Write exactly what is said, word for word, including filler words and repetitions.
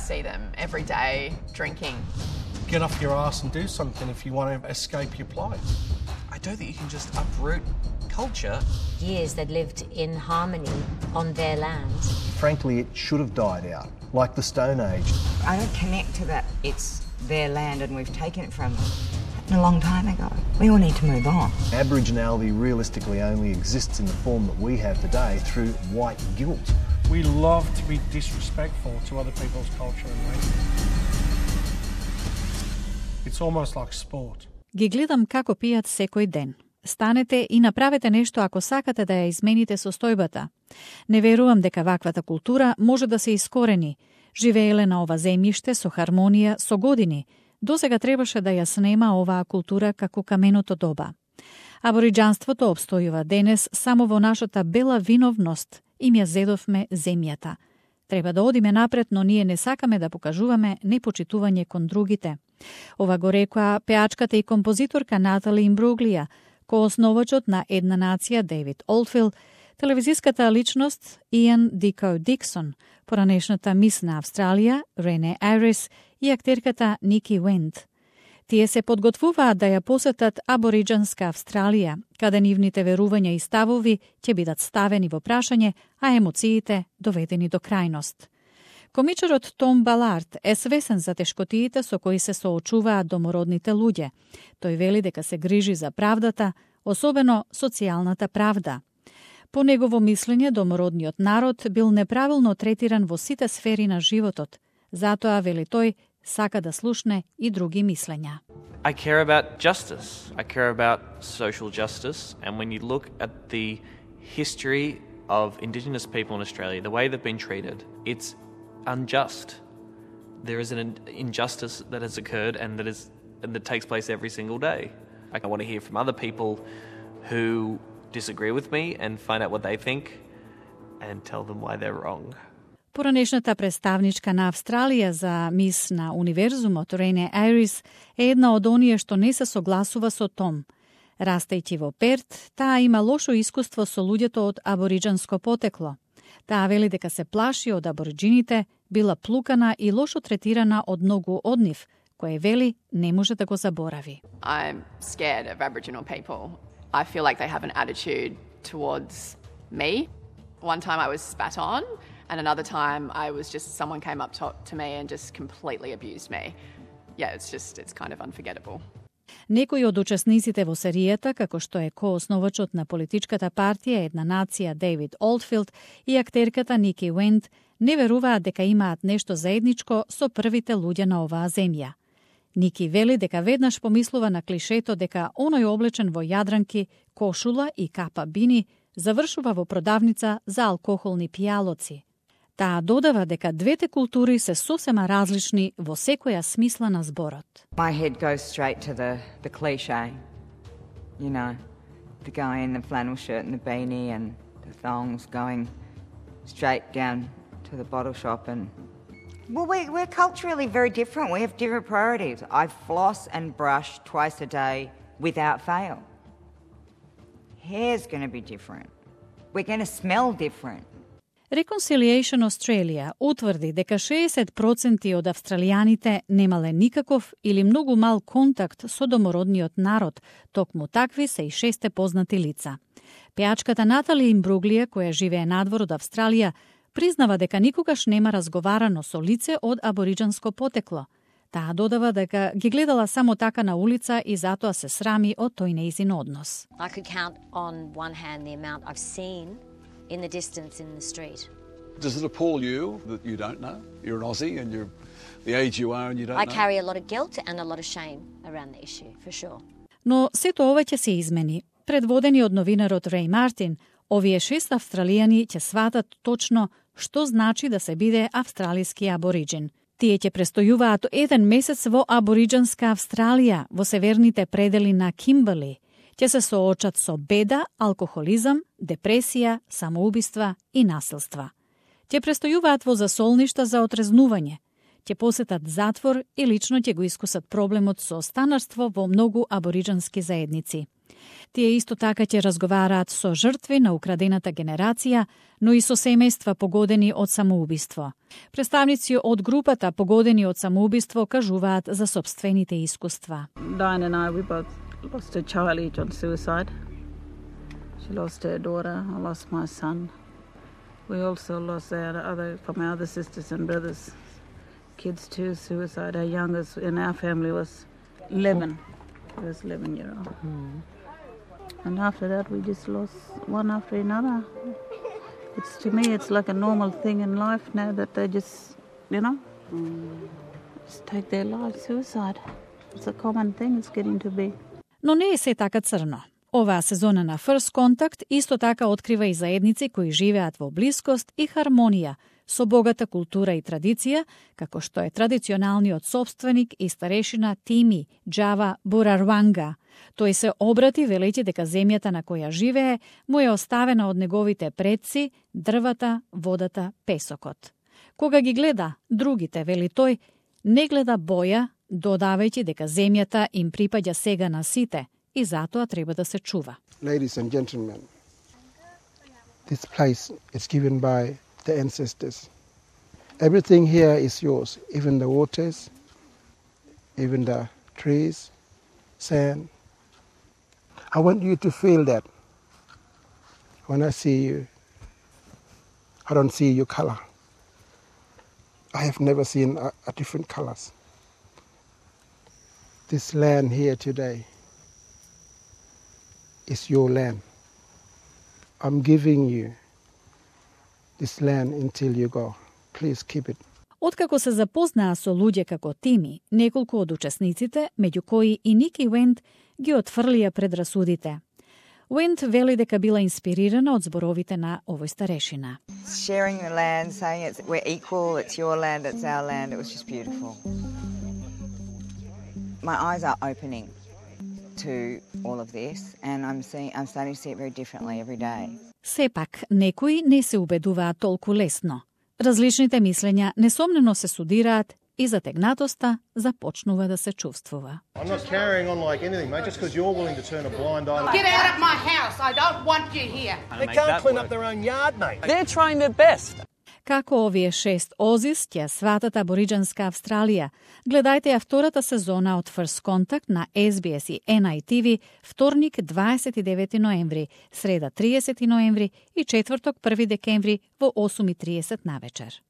see them every day drinking. Get off your ass and do something if you want to escape your plight. I don't think you can just uproot culture. Years they'd lived in harmony on their land. Frankly, it should have died out, like the Stone Age. I don't connect to that. It's their land and we've taken it from them. A long time ago. We all need to move on. Aboriginality realistically only exists in the form that we have today through white guilt. We love to be disrespectful to other people's culture and race. It's almost like sport. Ги гледам како пијат секој ден. Станете и направете нешто ако сакате да ја измените состојбата. Не верувам дека ваквата култура може да се искорени. Живееле на ова земјиште со хармонија со години. Досега требаше да ја снема оваа култура како каменото доба. Абориџанството обстојува денес само во нашата бела виновност, им ја зедовме земјата. Треба да одиме напред, но ние не сакаме да покажуваме непочитување кон другите. Ова го рекоа пеачката и композиторка Натали Имбруглија, коосновачот на Една нација Дейвид Олдфилд, телевизиската личност Иан Дико Диксон, поранешната мис на Австралија Рене Айрис и актерката Ники Уент. Тие се подготвуваат да ја посетат абориџанска Австралија, каде нивните верувања и ставови ќе бидат ставени во прашање, а емоциите доведени до крајност. Комичарот Том Балард е свесен за тешкотиите со кои се соочуваат домородните луѓе. Тој вели дека се грижи за правдата, особено социјалната правда. По негово мислење, домородниот народ бил неправилно третиран во сите сфери на животот. Затоа, вели тој, сака да слушне и други мислења. I care about justice. I care about social justice. And when you look at the history of Indigenous people in Australia, the way they've been treated, it's unjust. There is an injustice that has occurred and that is and that takes place every single day. I want to hear from other people who disagree with me and find out what they think and tell them why they're wrong. Поранешната представничка на Австралија за мис на универзумот Рене Айрис е една од оние што не се согласува со Том. Растејќи во Перт, таа има лошо искуство со луѓето од абориџанско потекло. Таа вели дека се плаши од абориџините, била плукана и лошо третирана од многу од нив, кое вели не може да го заборави. I'm scared of Aboriginal people. I feel like they have an attitude towards me. One time I was spat on, and another time I was just, someone came up to, to me and just completely abused me. Yeah, it's just, it's kind of unforgettable. Некои од учесниците во серијата, како што е коосновачот на политичката партија Една нација Дейвид Олдфилд и актерката Ники Уент, не веруваат дека имаат нешто заедничко со првите луѓе на оваа земја. Ники вели дека веднаш помислува на клишето дека оној облечен во јадранки, кошула и капа бини завршува во продавница за алкохолни пијалоци. Таа додава дека двете култури се сосема различни во секоја смисла на зборот. My head goes straight to the, the cliche, you know, the guy in the flannel shirt and the beanie and the thongs going straight down to the bottle shop and... Well, we, we're culturally very different. We have different priorities. I floss and brush twice a day without fail. Hair's going to be different. We're going to smell different. Reconciliation Australia утврди дека шеесет проценти од австралијаните немале никаков или многу мал контакт со домородниот народ, токму такви се и шесте познати лица. Пеачката Натали Имбруглија, која живее надвор од Австралија, признава дека никогаш нема разговарано со лице од абориџанско потекло. Таа додава дека ги гледала само така на улица и затоа се срами од тој нејзин однос. I could count on one hand the amount I've seen in the distance in the street. Does it appall you that you don't know? You're an Aussie and you're the age you are and you don't I know? I carry a lot of guilt and a lot of shame around the issue, for sure. Но сето ова ќе се измени. Предводени од новинарот Рей Мартин, овие шест австралијани ќе сватат точно што значи да се биде австралиски абориџин. Тие ќе престојуваат еден месец во абориџанска Австралија, во северните предели на Кимберли. Ќе се соочат со беда, алкохолизам, депресија, самоубиства и насилства. Ќе престојуваат во засолништа за отрезнување. Ќе посетат затвор и лично ќе го искусат проблемот со станарство во многу абориџански заедници. Тие исто така ќе разговараат со жртви на украдената генерација, но и со семејства погодени од самоубиство. Представници од групата погодени од самоубиство кажуваат за собствените искуства. Diane and I, we both lost a child each on suicide. She lost her daughter, I lost my son. We also lost our other, from our other sisters and brothers, kids to suicide. Our youngest in our family was eleven. He was eleven year old. Mm. And after that, we just lost one after another. It's, to me, it's like a normal thing in life now that they just, you know, mm. just take their lives, suicide. It's a common thing, it's getting to be. Но не е се така црно. Оваа сезона на First Contact исто така открива и заедници кои живеат во блискост и хармонија со богата култура и традиција, како што е традиционалниот собственик и старешина Тими Джава Бурарванга. Тој се обрати велејќи дека земјата на која живее му е оставена од неговите предци, дрвата, водата, песокот. Кога ги гледа другите, вели тој, не гледа боја, додавајќи дека земјата им припаѓа сега на сите и затоа треба да се чува. Ladies and gentlemen, this place is given by the ancestors. Everything here is yours, even the waters, even the trees, sand. I want you to feel that. When I see you, I don't see your color. I have never seen a, a different colors. This land here today is your land. I'm giving you this land until you go. Please keep it. Откако се запознаа со луѓе како Тими, неколку од учесниците, меѓу кои и Ники Уент, ги отфрлија предрасудите. Уент вели дека била инспирирана од зборовите на овој старешина. Sharing the land, saying it's, we're equal, it's your land, it's our land, it was just beautiful. My eyes are opening to all of this and I'm seeing, I'm starting to see it very differently every day. Сепак, некои не се убедуваат толку лесно. Различните мислења несомнено се судираат и затегнатоста започнува да се чувствува. I'm not carrying on like anything, mate, just because you're willing to turn a blind eye. Get out of my house. I don't want you here. They can't clean up their own yard, mate. They're trying their best. Како овие шест озис ќе сватат абориџанска Австралија, гледајте ја втората сезона од First Contact на Ес Би Ес и Ен Ај Ти Ви вторник дваесет и девети ноември, среда триесети ноември и четврток први декември во осум и триесет навечер.